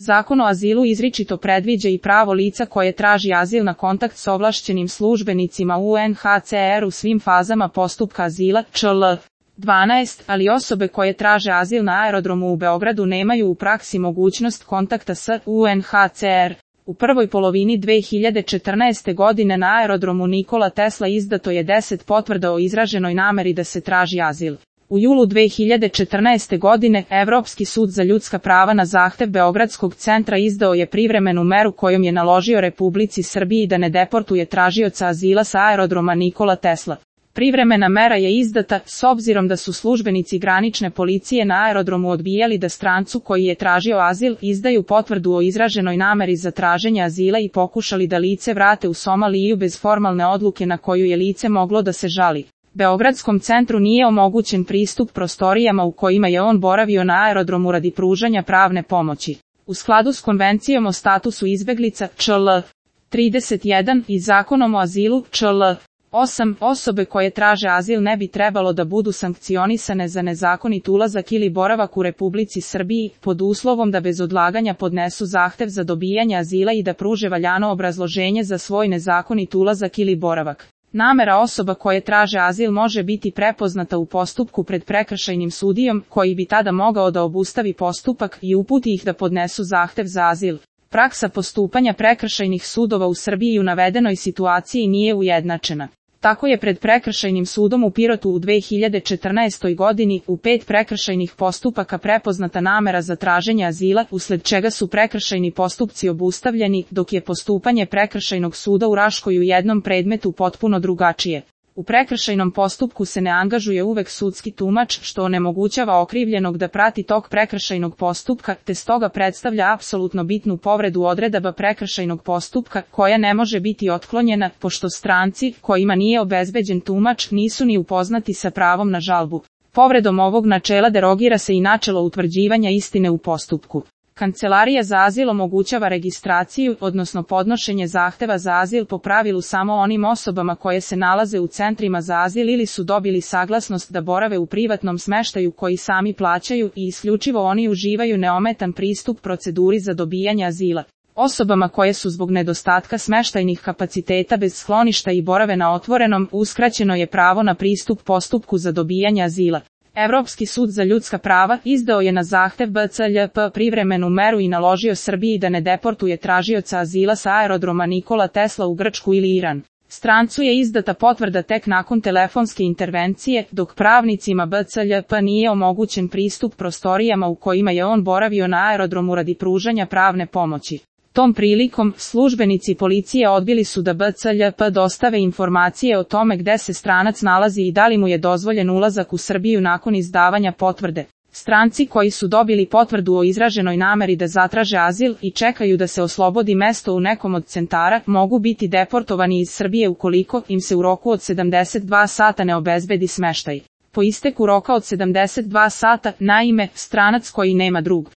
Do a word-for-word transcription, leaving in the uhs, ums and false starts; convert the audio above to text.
Zakon o azilu izričito predviđa i pravo lica koje traži azil na kontakt s ovlašćenim službenicima U N H C R u svim fazama postupka azila, čl. dvanaest, ali osobe koje traže azil na aerodromu u Beogradu nemaju u praksi mogućnost kontakta s U N H C R. U prvoj polovini dve hiljade četrnaeste. godine na aerodromu Nikola Tesla izdato je deset potvrda o izraženoj nameri da se traži azil. U julu dve hiljade četrnaeste. godine Evropski sud za ljudska prava na zahtev Beogradskog centra izdao je privremenu meru kojom je naložio Republici Srbiji da ne deportuje tražioca azila sa aerodroma Nikola Tesla. Privremena mera je izdata s obzirom da su službenici granične policije na aerodromu odbijali da strancu koji je tražio azil izdaju potvrdu o izraženoj nameri za traženje azila i pokušali da lice vrate u Somaliju bez formalne odluke na koju je lice moglo da se žali. Beogradskom centru nije omogućen pristup prostorijama u kojima je on boravio na aerodromu radi pružanja pravne pomoći. U skladu s Konvencijom o statusu izbeglica čl. trideset jedan i Zakonom o azilu čl. osam, osobe koje traže azil ne bi trebalo da budu sankcionisane za nezakonit ulazak ili boravak u Republici Srbiji, pod uslovom da bez odlaganja podnesu zahtev za dobijanje azila i da pruže valjano obrazloženje za svoj nezakonit ulazak ili boravak. Namera osoba koje traže azil može biti prepoznata u postupku pred prekršajnim sudijom, koji bi tada mogao da obustavi postupak i uputi ih da podnesu zahtev za azil. Praksa postupanja prekršajnih sudova u Srbiji u navedenoj situaciji nije ujednačena. Tako je pred prekršajnim sudom u Pirotu u dve hiljade četrnaestoj. godini u pet prekršajnih postupaka prepoznata namera za traženje azila, usled čega su prekršajni postupci obustavljeni, dok je postupanje prekršajnog suda u Raškoj u jednom predmetu potpuno drugačije. U prekršajnom postupku se ne angažuje uvek sudski tumač, što onemogućava okrivljenog da prati tok prekršajnog postupka, te stoga predstavlja apsolutno bitnu povredu odredaba prekršajnog postupka, koja ne može biti otklonjena, pošto stranci, kojima nije obezbeđen tumač, nisu ni upoznati sa pravom na žalbu. Povredom ovog načela derogira se i načelo utvrđivanja istine u postupku. Kancelarija za azil omogućava registraciju, odnosno podnošenje zahteva za azil po pravilu samo onim osobama koje se nalaze u centrima za azil ili su dobili saglasnost da borave u privatnom smeštaju koji sami plaćaju i isključivo oni uživaju neometan pristup proceduri za dobijanje azila. Osobama koje su zbog nedostatka smeštajnih kapaciteta bez skloništa i borave na otvorenom, uskraćeno je pravo na pristup postupku za dobijanje azila. Evropski sud za ljudska prava izdao je na zahtev B C L P privremenu meru i naložio Srbiji da ne deportuje tražioca azila sa aerodroma Nikola Tesla u Grčku ili Iran. Strancu je izdata potvrda tek nakon telefonske intervencije, dok pravnicima B C L P nije omogućen pristup prostorijama u kojima je on boravio na aerodromu radi pružanja pravne pomoći. Tom prilikom, službenici policije odbili su da B C L P dostave informacije o tome gde se stranac nalazi i da li mu je dozvoljen ulazak u Srbiju nakon izdavanja potvrde. Stranci koji su dobili potvrdu o izraženoj nameri da zatraže azil i čekaju da se oslobodi mesto u nekom od centara, mogu biti deportovani iz Srbije ukoliko im se u roku od sedamdeset dva sata ne obezbedi smeštaj. Po isteku roka od sedamdeset dva sata, naime, stranac koji nema drug